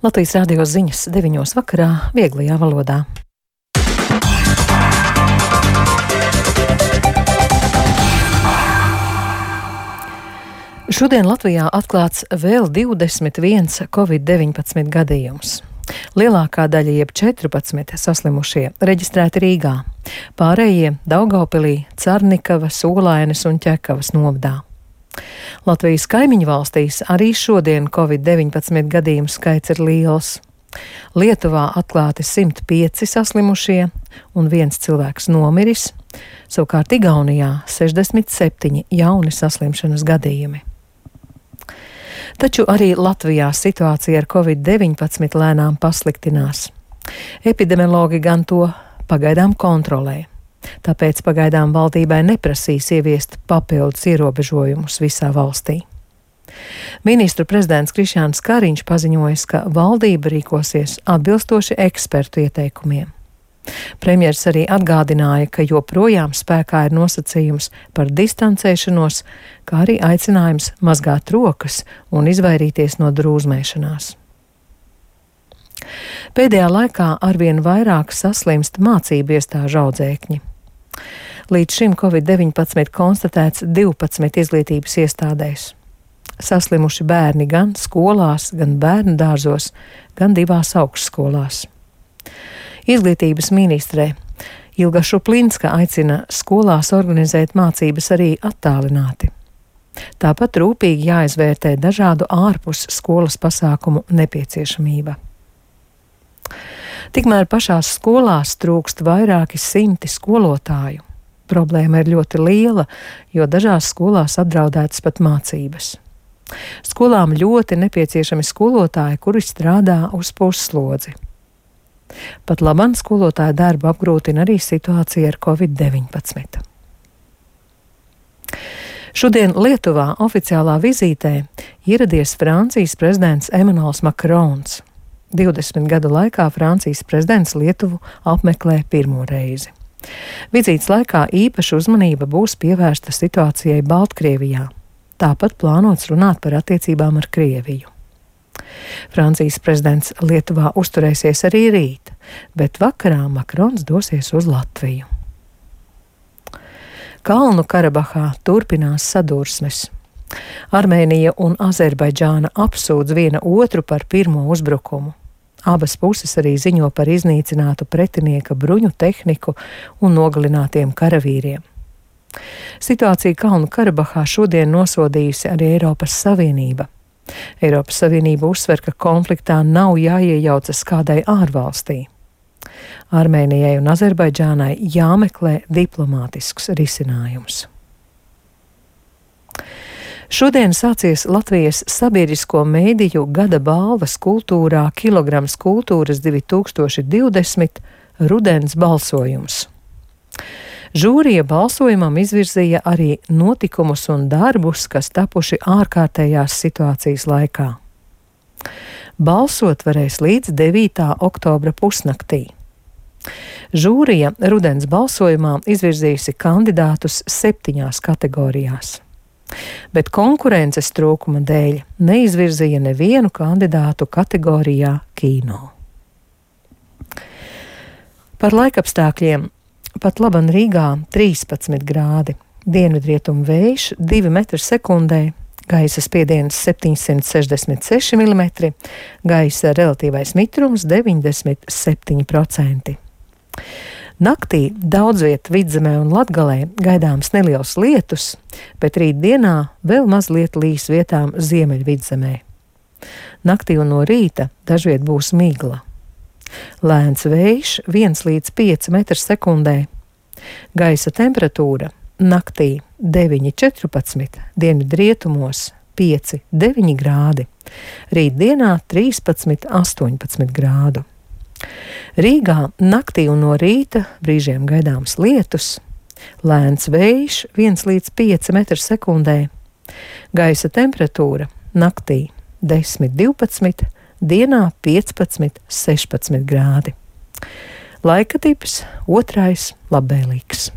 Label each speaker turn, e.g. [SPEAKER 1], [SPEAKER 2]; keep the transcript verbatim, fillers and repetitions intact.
[SPEAKER 1] Latvijas radio ziņas deviņos vakarā vieglajā valodā. Šodien Latvijā atklāts vēl divdesmit viens covid deviņpadsmit gadījums. Lielākā daļa, jeb četrpadsmit saslimušie, reģistrēti Rīgā, pārējie Daugavpilī, Carnikavas, Olainas un Ķekavas novadā. Latvijas kaimiņu valstīs arī šodien covid deviņpadsmit gadījumu skaits ir liels. Lietuvā atklāti simt pieci saslimušie un viens cilvēks nomiris, savukārt Igaunijā sešdesmit septiņi jauni saslimšanas gadījumi. Taču arī Latvijā situācija ar covid deviņpadsmit lēnām pasliktinās. Epidemiologi gan to pagaidām kontrolē, tāpēc pagaidām valdībai neprasīs ieviest papildus ierobežojumus visā valstī. Ministru prezidents Krišjāns Kariņš paziņojis, ka valdība rīkosies atbilstoši ekspertu ieteikumiem. Premjers arī atgādināja, ka joprojām spēkā ir nosacījums par distancēšanos, kā arī aicinājums mazgāt rokas un izvairīties no drūzmēšanās. Pēdējā laikā arvien vairāk saslimst mācību iestāžu audzēkņi. Līdz šim covid deviņpadsmit konstatēts divpadsmit izglītības iestādēs. Saslimuši bērni gan skolās, gan bērnu dārzos, gan divās augstskolās. Izglītības ministre Ilga Šuplinska aicina skolās organizēt mācības arī attālināti. Tāpat rūpīgi jāizvērtē dažādu ārpus skolas pasākumu nepieciešamība. Tikmēr pašās skolās trūkst vairāki simti skolotāju. Problēma ir ļoti liela, jo dažās skolās apdraudētas pat mācības. Skolām ļoti nepieciešami skolotāji, kuri strādā uz pusslodzi. Pat labam skolotāja darbu apgrūtina arī situācija ar covid deviņpadsmit. Šodien Lietuvā oficiālā vizītē ieradies Francijas prezidents Emmanuels Macrons. divdesmit gadu laikā Francijas prezidents Lietuvu apmeklē pirmo reizi. Vizītes laikā īpaša uzmanība būs pievērsta situācijai Baltkrievijā. Tāpat plānots runāt par attiecībām ar Krieviju. Francijas prezidents Lietuvā uzturēsies arī rīt, bet vakarā Makrons dosies uz Latviju. Kalnu Karabahā turpinās sadursmes. Armēnija un Azerbaidžāna apsūdz viena otru par pirmo uzbrukumu. Abas puses arī ziņo par iznīcinātu pretinieka bruņu tehniku un nogalinātiem karavīriem. Situāciju Kalnu Karabahā šodien nosodījusi arī Eiropas Savienība. Eiropas Savienība uzsver, ka konfliktā nav jāiejaucas kādai ārvalstī. Armēnijai un Azerbaidžānai jāmeklē diplomātisks risinājums. Šodien sācies Latvijas sabiedrisko mēdīju gada balvas kultūrā Kilograms kultūras divi tūkstoši divdesmit rudens balsojums. Žūrija balsojumam izvirzīja arī notikumus un darbus, kas tapuši ārkārtējās situācijas laikā. Balsot varēs līdz devītā oktobra pusnaktī. Žūrija rudens balsojumā izvirzījusi kandidātus septiņās kategorijās, bet konkurences trūkuma dēļ neizvirzīja nevienu kandidātu kategorijā kino. Par laikapstākļiem. Pat laban Rīgā trīspadsmit grādi, dienvidrietumu vējš divi metri sekundē, gaisa spiediens septiņsimt sešdesmit seši milimetri, gaisa relatīvais mitrums deviņdesmit septiņi procenti. Naktī daudz viet Vidzemē un Latgalē gaidāms neliels lietus, bet rītdienā vēl mazliet līs vietām Ziemeļvidzemē. Naktī un no rīta dažviet būs migla. Lēns vējš viens līdz pieci metri sekundē. Gaisa temperatūra naktī deviņi četrpadsmit, dienvidrietumos pieci deviņi grādi, rītdienā trīspadsmit astoņpadsmit grādu. Rīgā naktī un no rīta brīžiem gaidāms lietus, lēns vējš viens līdz pieci metri sekundē. Gaisa temperatūra naktī desmit divpadsmit, dienā piecpadsmit sešpadsmit grādi. Laika tips otrais labvēlīgs.